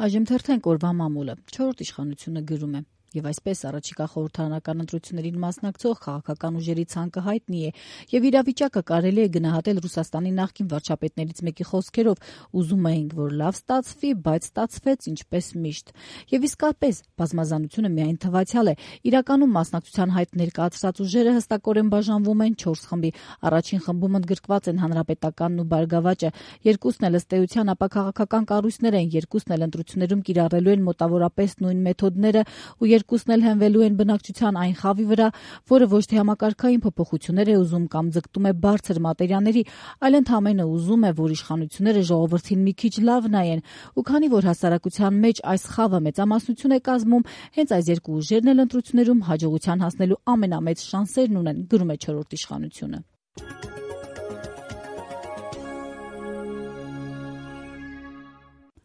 Այժմ թերթենք օրվա մամուլը։ 4-րդ իշխանությունը գրում է. Եվ այսպես առաջիկա խորհրդարանական ընտրություններին մասնակցող քաղաքական ուժերի ցանկը հայտնի է, եւ իրավիճակը կարելի է գնահատել Ռուսաստանի նախկին վարչապետներից մեկի խոսքերով. ուզում էինք, որ լավ ստացվի, բայց ստացվեց ինչպես միշտ։ Եվ իսկապես բազմազանությունը միայն թվացial է։ Իրականում մասնակցության հայտ ներկայացրած ուժերը հստակորեն բաժանվում են 4 խմբի։ Առաջին խմբում ընդգրկված են Հանրապետականն ու Բարգավաճը, երկուսն էլ ըստ էության ապա քաղաքական կառույցներ են, երկուսն էլ ընտրություններում կիրառելու են մոտավորապես նույն մեթոդները ու երկուսն էլ հենվելու են բնակչության այն խավի վրա, որը ոչ թե համակարգային փոփոխություններ է ուզում կամ ձգտում է բարձր մատերիաների, այլ ընդամենը ուզում է, որ իշխանությունները ժողովրդին մի քիչ լավ նայեն, ու քանի որ հասարակության մեջ այս խավը մեծամասնություն է կազմում, հենց այս երկու ուժերն էլ ընտրություններում հաջողության հասնելու ամենամեծ շանսերն ունեն, գրում է 4-րդ իշխանությունը։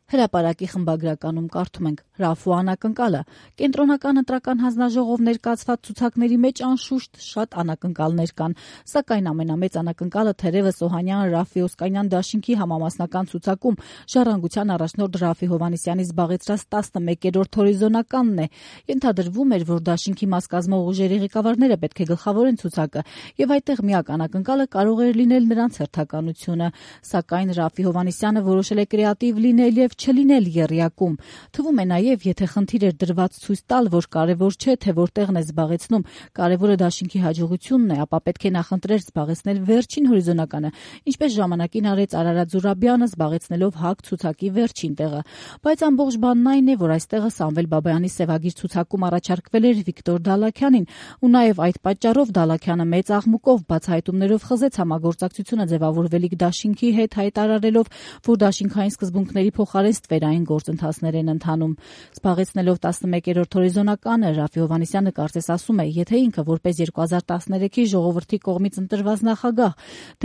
Հրապարակի խմբագրականում կարդում ենք. Ռաֆու անակնկալը։ Կենտրոնական ընտրական հանձնաժողով ներկայացված ցուցակների մեջ անշուշտ շատ անակնկալներ կան, սակայն ամենամեծ անակնկալը թերևս Օհանյան-Ռաֆի Օսկանյան դաշինքի համամասնական ցուցակում ժառանգության առաջնորդ Ռաֆի Հովհաննիսյանի զբաղեցրած 11-րդ հորիզոնականն է։ Ենթադրվում էր, որ դաշինքի մաս կազմող ուժերի ղեկավարները պետք է գլխավորեն ցուցակը, եւ այդտեղ միակ անակնկալը կարող էր լինել նրանց հերթականությունը, սակայն Ռաֆի Հովհաննիսյանը որոշել է կրեատիվ լինել եւ չլինել եռյակում։ Թվում է նաև, եթե խնդիր էր դրված ցույց տալ, որ կարևոր չէ, թե որտեղն է զբաղեցնում, կարևորը դաշինքի հաջողությունն է, ապա պետք է նախընտրեր զբաղեցնել վերջին հորիզոնականը, ինչպես ժամանակին արեց Արարատ Զուրաբյանը, զբաղեցնելով ՀԱԿ ցուցակի վերջին տեղը։ Բայց ամբողջ բանն այն է, որ այստեղը Սամվել Բաբայանի սևագիր ցուցակում առաջարկվել էր Վիկտոր Դալաքյանին, ու նաև այդ պատճառով Դալաքյանը մեծ աղմուկով բացահայտումներով խզեց համագործակցությունը ձևավորվելիք դաշինքի հետ, հայտարարելով, որ դաշինքային սկզբունքների փոխարեն ստվերային գործընթացներ են ընթանում։ Զբաղեցնելով 11-րդ հորիզոնականը, Ռաֆի Հովհաննիսյանը կարծես ասում է, եթե ինքը որպես 2013-ի ժողովրդի կողմից ընտրված նախագահ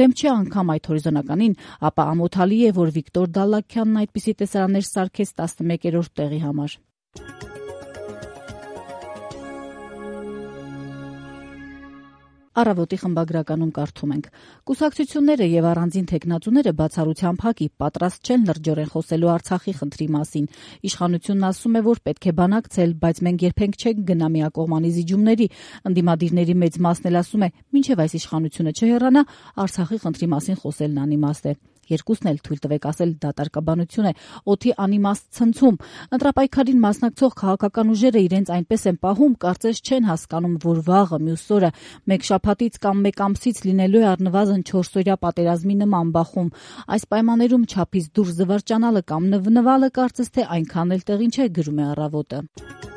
դեմ չի անգամ այդ հորիզոնականին, ապա ամոթալի է, որ Վիկտոր Դալաքյանն այդպիսի տեսարաններ սարքեց 11-րդ տեղի համար։ Առավոտի խմբագրականում կարդում ենք. Կուսակցությունները եւ առանձին թեկնածուները բացառությամբ ՀԱԿ-ի պատրաստ չեն լրջորեն խոսելու Արցախի խնդրի մասին։ Իշխանությունն ասում է, որ պետք է բանակցել, բայց մենք երբենք չենք գնա միակողմանի զիջումների։ Ընդդիմադիրների մեծ մասն էլ ասում է, մինչեւ այս իշխանությունը չհեռանա, Արցախի խնդրի մասին խոսելն անիմաստ է։ Երկուսն էլ թույլ տվեք ասել դատարկաբանություն է, օդի անիմաստ ցնցում։ Ընտրապայքարին մասնակցող քաղաքական ուժերը իրենց այնպես են պահում, կարծես չեն հասկանում, որ վաղը մյուս օրը մեկ շաբաթից կամ մեկ ամսից լինելու է առնվազն 4-օրյա պատերազմի նման բախում։ Այս պայմաններում չափից դուրս զվարճանալը կամ նվնվալը կարծես թե այնքան էլ տեղին չէ, գրում է Առավոտը։